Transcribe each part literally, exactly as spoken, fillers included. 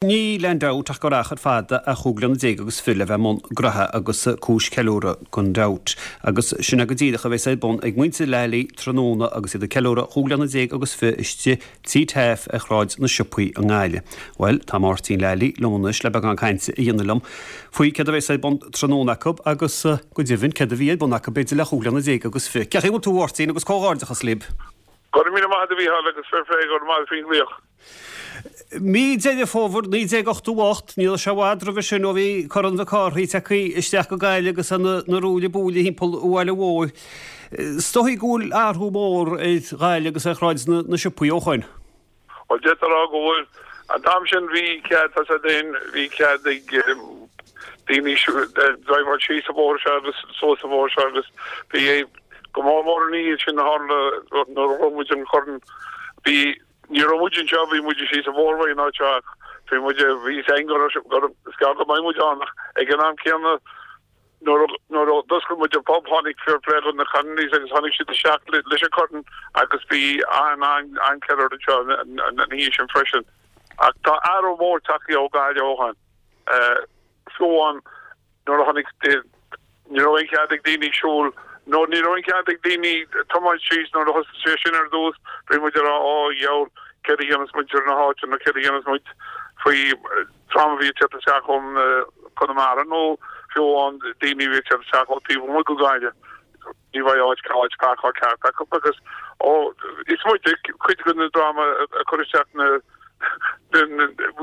Níl aon dabht ach gur achar fada a chúig bliana déag agus fiche le bheith i mbun graithe agus cúis ceiliúradh gan dabht. Agus sin é go díreach a bheas ar bun ag muintir Lally tráthnóna agus iad ag ceiliúradh chúig bliana déag agus fiche istigh Tí Taaffe ar Shráid na Siopaí i nGaillimh. Bhuel, tá Máirtín Lally liom anois le beagán cainte a dhéanamh liom faoi céard a bheas ar bun tráthnóna acu agus go deimhin céard a bhí ar bun acu b'fhéidir le chúig bliana déag agus fiche. Cén chaoi a bhfuil tú a Mháirtín agus comhghairdeachas libh. Go raibh míle maith agat a Mhícheáil agus fair play go raibh maith faoin nglaoch. Mí Deireadh Fómhair naoi déag ochtó a hocht, ní raibh sé i bhfad roimhe sin ó bhí Corn Mhic Cárthaigh tagtha isteach go Gaillimh agus na ruaille buaille thimpeall an bhaile mhóir. Is dóigh go bhfuil athrú mór ar Ghaillimh agus ar Shráid na Siopaí ó shoin. Bhuel, d'fhéadfá a rá go bhfuil. An t-am sin bhí cead, tá sé féin, bhí cead ag daoine driveáil síos an bóthar seo agus suas an bóthar seo agus bhí go mór mór an oíche sin a tharla nuair a ghnóthaigh muid an corn, bhí Ní raibh muid anseo, bhí muid síos an bóthar uaidh an áit seo ach bhí muid, bhí fhios againn go raibh, go raibh, is gearr go mbeidh muid ann ach ag an am céanna nuair a, nuair a d'oscail muid an pub tháinig fair play do na Connolly's agus tháinig siad isteach le, leis an corn agus bhí an, an, an-cheiliúradh anseo an, an, an oíche sin freisin. Ach tá athrú mór tagtha ó Ghaillimh ó shin. Fiú amháin Nuair a tháinig, ní raibh aon chead ag daoine siúl, nó ní raibh aon chead ag daoine tiomáint síos nuair a thosaigh sé sin ar dtús, bhí muid ag rá, á, dheabhail, céard a dhéanfas muintir na háite nó céard a dhéanfas muid faoi dream a bhí ag teacht isteach ón Conamara nó fiú amháin daoine a bhí ag teacht isteach ó taobh amuigh de Ghaillimh, ní bheidh áit áit páirceáil ceart acu agus, ó, is muide cuid de na dream a chuir isteach na, bhí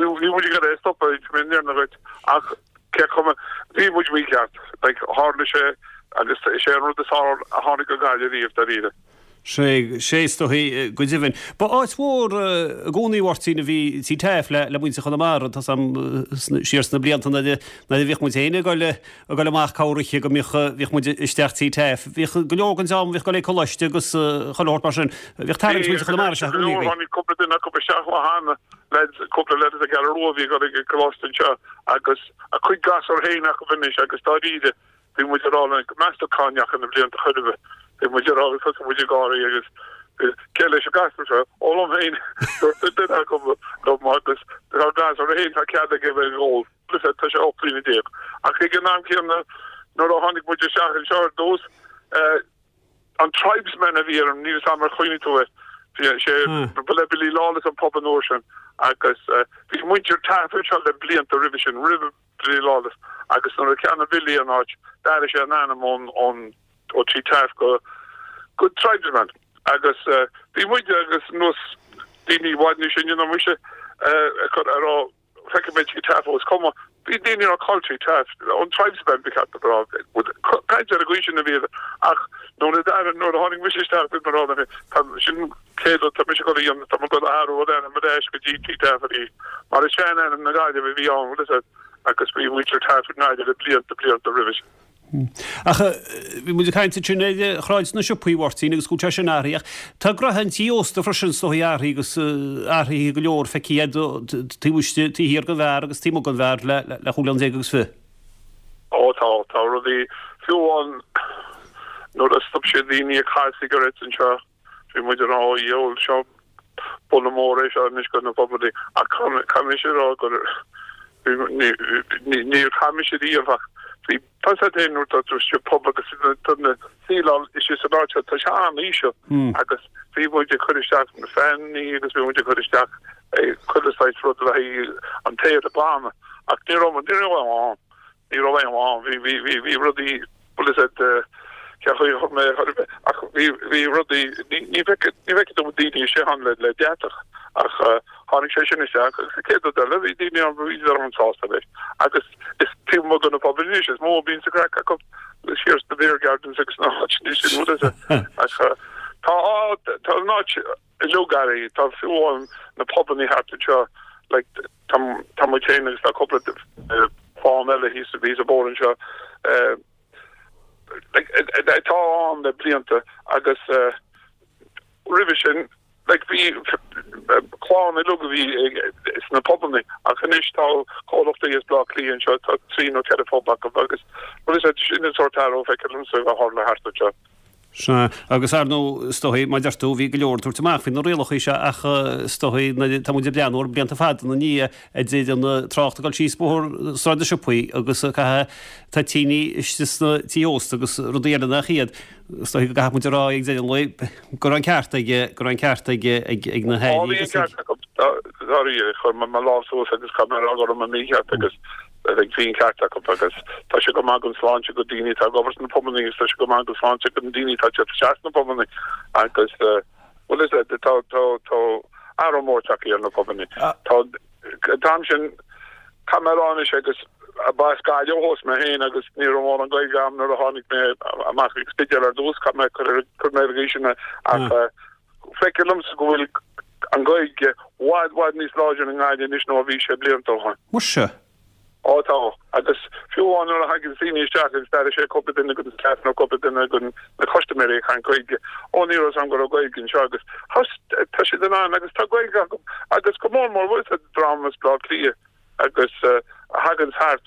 muid ag iarraidh é a stopadh, mé i ndeireadh dhuit, ach. Cé chuma, bhí muid mícheart. Like, tharla sé agus is é an rud is fearr a tháinig go Gaillimh riamh, dáiríre. Sé, sé is dóichí, go deimhin. Ba áit mhór i gcónaí, a Mháirtín, a bhí Tí Taaffe le, le muintir Chonamara, tá 's a'm, siar sna blianta nuair a, nuair a bhíodh muid féin ag dul, ag dul amach corroíche go mbíodh, bhíodh muid isteach Tí Taaffe. Bhíodh go leor den dream a bhíodh ag dul ag coláiste agus chuile shórt mar sin. Bhíodh tarraingt muintir Chonamara isteach i gcónaí. Tháinig cúpla duine acu isteach ó cheana, lads, cúpla leaid as an gCeathrú Rua a bhí ag dul ag coláiste anseo agus, a gcuid gasúr féin acu anois agus dáiríre bhí muid ag rá linn, meas tú cá ndeachaigh na blianta chor ar bith, bhí muid ag rá agus thosaigh muid ag gáirí agus cé leis an gasúr seo? Ó liom féin, dúirt duine acu liom agus tá gasúr féin, tá cead aige bheith ag ól, tá sé ocht mbliana déag. Ach ag an am céanna nuair a tháinig muid isteach anseo ar dtús, An Tribesman a bhí ar an, níl 'fhios a'm ar chuimhnigh tú air, bhí sé, ba le Billy Lawless an pub an uair sin agus bhí muintir Taaffe anseo le blianta roimhe sin, roimh Billy Lawless agus nuair a cheannaigh Billy an áit d'athraigh sé an ainm ón, ón, ó Tigh Taaffe go, go Tribesman agus bhí muide agus nós daoine i bhfad níos sine ná mise ag cur, ag rá Feicfidh mé Tigh Taaffe is cuma. Bhí daoine ag rá cá bhfuil Tigh Taaffe, an Tribesman ba cheart a rá. Caint ar an gcaoi sin a bhí ach nuair a d'athraigh, nuair a tháinig mise isteach bhí mé ag rá liom féin, tá sin céad rud tá mise ag dul a dhéanamh, tá mé ag dul a athrú an ainm ar ais go dtí Tigh Taaffe arís. Mar is sean-ainm na Gaillimhe a bhí ann, bhfuil fhios agat, agus bhí muintir Taaffe i nGaillimh le blianta, blianta roimhe sin. Ach bhí muid ag caint ansin ar Shráid na Siopaí, a Mháirtín, agus go bhfuil sé sin athraithe. Ach tá gnoithe an tí ósta freisin is dóigh athraithe agus athraithe go leor feicthe agat taobh istigh, taobh thiar den bheár agus taobh amuigh den bheár le chúig bliana déag agus fiche. Ó tá, tá rudaí, fiú amháin nuair a stop siad daoine ag caitheamh cigarettes anseo, Bhí muid ag rá, ó dhiabhal, seo buille mór é seo anois do na pubannaí ach caithfidh mise a rá gur níor chaith mise riamh ach bhí tá 'fhios agat féin nuair atá tú istigh i bpub agus tá na ceileáil istigh san áit seo tá sé an-íseal agus bhí muid ag cur isteach na fanannaí agus bhí muid ag cur isteach chuile saghas rud le haghaidh an t-aer a ghlanadh ach ní raibh ní raibh ann. Ní raibh aon mhaith ann. Bhí, bhí, bhí, bhí rudaí, bhfuil fhios agat, cén chaoi a chur mé, chur mé, ach bhí, bhí rudaí, ní, ní bhfeicfidh, ní bhfeicfidh tú daoine istigh ann le, le deatach ach tháinig sé sin isteach agus an chéad rud eile, bhí daoine ann, bhí siad an-sásta leis agus is taobh amuigh de na pubanna anois, is mó a bhíonn an craic acu siar sna beer gardens agus na háiteanna sin, bhfuil fhios agat. Ach tá, tá an áit uilig athraithe, tá fiú amháin na pubanna thart anseo, like, Tá tá muid féin agus tá cúpla clann eile thíos thíos an bóthar anseo like atá ann le blianta agus roimhe sin like bhí clann uilig a bhí sna pubanna ach anois tá comhlachtaí as Baile Átha Cliath anseo tá trí nó ceithre phub acu agus bhfuil fhios agat sin an sórt athrú a feictear liomsa a tharla thart anseo. Sea, agus ar ndóigh, is dóigh, mar a deir tú, bhí go leor ag tabhairt amach faoi na rialacha seo ach is dóigh, tá muid ag breathnú ar blianta fada ina ndiaidh a deir an trácht ag dul síos bóthar Sráid na Siopaí agus ag caitheamh toitíní istigh sna tithe ósta agus rudaí eile nach iad. Is dóigh go gcaithfidh muid a rá ag deireadh an lae go raibh an ceart ag, go raibh an ceart ag, ag, ag na hairí agus ag. Bhí an ceart acu, dáiríre, chuir mé mo lámh suas agus caithfidh mé a rá go raibh mé mícheart agus Bheadh bhí an ceart acu agus tá sé go maith don sláinte go daoine atá ag obair sna pubannaí agus tá sé go maith don sláinte go na daoine atá ag teacht isteach sna pubannaí agus bhuel is tá tá tá athrú mór tagtha ar na pubannaí. Tá an t-am sin caithfidh mé a rá anois agus ba as Gaillimh ó thús mé féin agus ní raibh mórán Gaeilge agam nuair a tháinig mé amach ag Spidéal ar dtús caithfidh mé cur cur mé ar an gcaoi sin ach feictear liomsa go bhfuil an Ghaeilge i bhfad bhfad níos láidre i nGaillimh anois ná a bhí sé blianta ó shin. Muise! Ó tá. Agus fiú amháin nuair a thagann daoine isteach agus d'airigh sé cúpla duine den staff nó cúpla duine de na custaiméirí ag caint Gaeilge, ó ní raibh 'fhios a'm go raibh Gaeilge anseo agus tá siad in ann agus tá Gaeilge acu agus go mór mór bhfuil 'fhios a'd dream as Baile Átha Cliath agus a thagann thart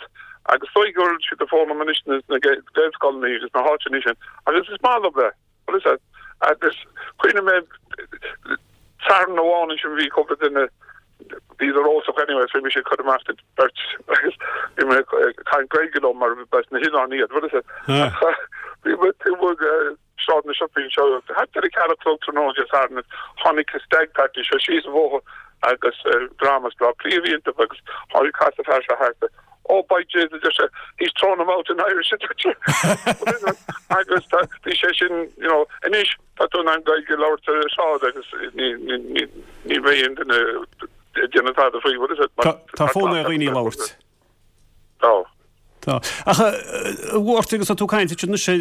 agus is dóigh go bhfuil siad ag foghlaim anois sna Gaelscoileanna agus na háiteanna sin agus is maith leo é. Bhuel is ea. Agus cuimhním mé Satharn amháin ansin bhí cúpla duine bhíodar óltach anyway so bhí mise ag cur amach do beirt agus bhí mé ag caint Gaeilge leo mar ba as na hoileáin iad bhuel is ea. Ach bhí mé taobh amuigh de Sráid na Siopaí anseo thart ar a ceathair a chlog tráthnóna Dé Sathairn tháinig an stag party seo síos an bhóthar agus dream as Baile Átha Cliath a bhí iontu agus tháinig casadh fear seo thart Oh by Jaysus a deir sé, he's thrown them out in Irish a deir sé. Agus tá, bhí sé sin, you know, anois tá tú in ann Gaeilge a labhairt ar an sráid agus ní, ní, ní, ní bheidh aon duine ag déanamh tada faoi, what is it? Tá, tá fonn ar dhaoine labhairt. Tá. Tá. Ach a Mháirtín agus tá tú ag caint anois ar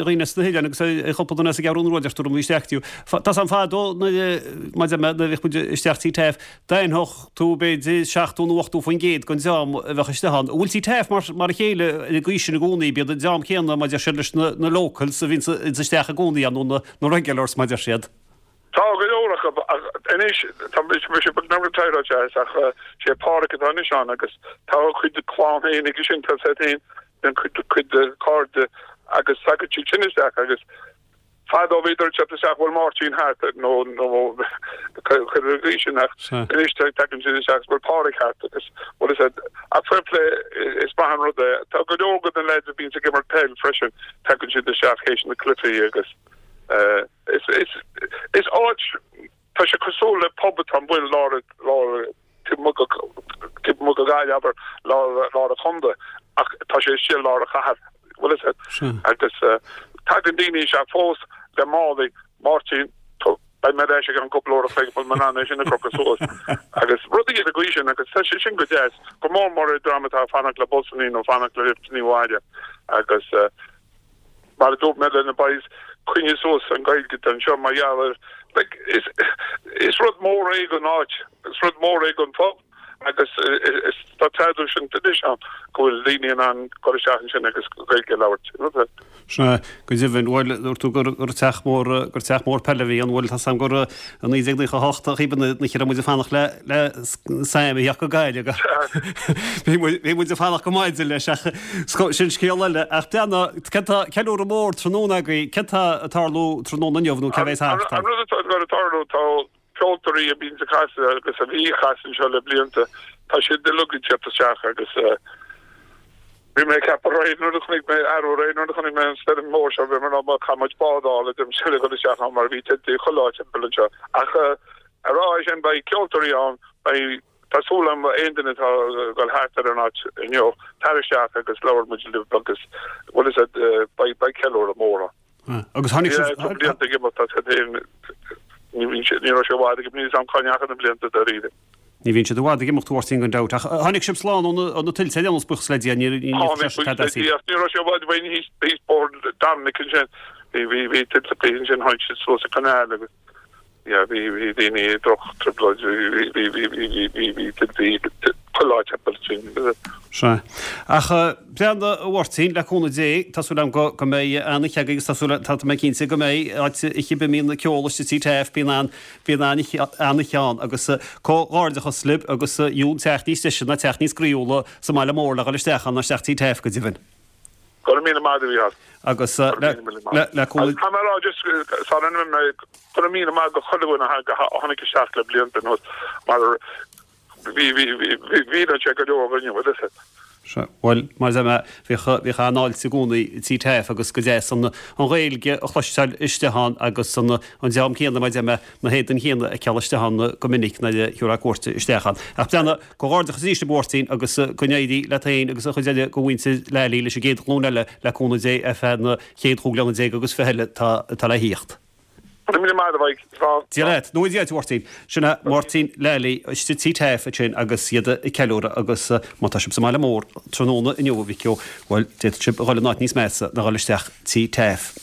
dhaoine as na hoileáin agus ar chúpla duine as an gCeathrú Rua deir tú raibh isteach tú. Tá 's a'm fadó nuair a, nuair a bhíodh muid isteach Tigh Taaffe, D'aithneodh tú b'fhéidir seachtó nó ochtó faoin gcéad den dream a bheadh istigh ann. An bhfuil Tigh Taaffe mar mar a chéile ar an gcaoi sin i gcónaí? B'iad an dream céanna, mar a deir siad, leis na na locals a bhíonns isteach i gcónaí ann nó na na regulars, mar a deir siad. Tá go leor acu ach anois tá mise beagnach retired ach sé Páraic atá anois ann agus tá a chuid clann féin aige sin, tá siad féin, cuid cuid de cairde agus tagann siad sin isteach agus Fadó bhíodar ag teacht isteach bhfuil Máirtín thart nó nó cuir ar an gcaoi sin ach anois tagann siad isteach bhfuil Páraic thart agus bhfuil fhios a'd ach fair play is maith an rud é. Tá go leor de na lads a bhíonns ag imirt peil freisin tagann siad isteach théis na cluichí agus is is is áit tá sé cosúil le pub atá amuigh i lár lár taobh amuigh de Ghaillimh, abair, lár lár an chontae, ach tá sé istigh i lár an chathair, bhfuil fhios a'd. Agus tagann daoine isteach fós le málaí, Máirtín, beidh mé ar ais i gceann cúpla uair a chloig, bhfuil mé in ann é sin a chrochadh suas. Agus rudaí ar an gcaoi sin, agus tá sé sin go deas, go mór mór ar dream atá ag fanacht le busannaí nó fanacht le lifteannaí abhaile. Agus mar a dúirt mé le na boys, coinnigh suas an Ghaeilge anseo mar gheall ar, like, is, is rud mór é don áit, is rud mór é don phub agus is, tá traidisiún anois ann go bhfuil daoine in ann dul isteach ansin agus Gaeilge a labhairt, you know. Sea, go deimhin. Bhuel, dúirt tú gur, gur teach mór, gur teach mór peile a bhí ann. Bhuel, tá 's a'm gur i naoi déag naocha a hocht a chíbe na, na raibh muid ag fanacht le, le Sam a theacht go Gaillimh. Bhí muid, bhí muid ag fanacht go maidin leis ach sin scéal eile. Ach déana, céard tá, ceiliúradh mór tráthnóna agaibh, céard tá ag tarlú tráthnóna inniu nó cé bheas thart? An rud atá ag tarlú, tá ceoltóirí a bhíonns ag casadh agus a bhí ag casadh anseo le blianta, tá siad uilig ag teacht isteach agus bhí mé ag ceapadh aréir nuair a chonaic mé, arú aréir nuair a chonaic mé an stoirm mhór seo, bhí mé ag rá caithfidh muid bád a fháil a deirim le dhul isteach ann mar bhí tuilte chuile áit timpeall anseo. Ach a rá é sin, beidh ceoltóirí ann, beidh Tá súil agam aon duine atá ag dul thart ar an áit inniu, tar isteach agus labhair muid libh agus bhfuil fhios a'd, beidh beidh ceiliúradh mór ann. Agus tháinig sibh. Tá blianta ag imeacht as féin, ní bhíonn sé, ní raibh sé i bhfad ag imeacht, níl fhios a'm cá ndeachaigh na blianta dáiríre. Ní bhíonn siad i bhfad ag imeacht, a Mháirtín, gan dabht. Ach tháinig sibh slán ó na tuilte ar aon nós, buíochas le Dia, ní Tháinig, buíochas le Dia, ach ní raibh sé i bhfad uainn thíos, thíos Bóthar Dominic ansin, bhí, bhí, bhí tuilte ansin, tháinig siad suas an canal agus. Yeah, bhí, bhí daoine i droch-trioblóid, bhí, bhí, bhí, bhí, bhí, bhí, bhí tuilte chuile áit timpeall sin. Sea. Ach breathnaigh, a Mháirtín, le cúnamh Dé, tá súil agam go, go mbeidh an-oíche agaibh agus tá súil, tá mé cinnte go mbeidh, áit cibé a mbíonn ceol istigh Tigh Taaffe, bíonn an, bíonn an-oíche, an-oíche ann agus comhghairdeachas libh agus gheobhaidh teach níos deise ná teach níos groíúla sa mbaile mór le dhul isteach ann ná isteach Tigh Taaffe go deimhin. Go raibh míle maith agat, a Mhícheáil. Agus le le cúnamh. Tá mé ag rá just sara n-imím go raibh míle maith go chuile dhuine a tháinig isteach le blianta anuas mar bhí bhí bhí bhí sé go leor againn bhfuil fhios agat. Sea, bhuel, mar a deir mé, bhíodh bhíodh an-fháilte i gcónaí Tí Taaffe agus go deas an an Ghaeilge a chloisteáil istigh ann agus an an dream céanna, mar a deir mé, na héadain chéanna a fheiceáil istigh ann go minic nuair a thiúrfá cuairt isteach ann. Ach breathnaigh, comhghairdeachas arís a Mháirtín agus go n-éirí leat féin agus an chuid eile de mhuintir Lally leis an gcéad ghlúin eile le cúnamh Dé ar feadh na chéad chúig bliana déag agus fiche eile atá le thíocht. Go raibh míle maith agat, a Mhaidhc. Slán. Dia leat. Nó Dia duit, a Mháirtín. Sin é Máirtín Lally istigh Tí Taaffe ansin agus iad ag ceiliúradh agus má tá sibh sa mbaile mór tráthnóna inniu, a mhic ó, bhuel, d'fhéadfadh sibh a dhul in áit níos measa ná dhul isteach Tí Taaffe.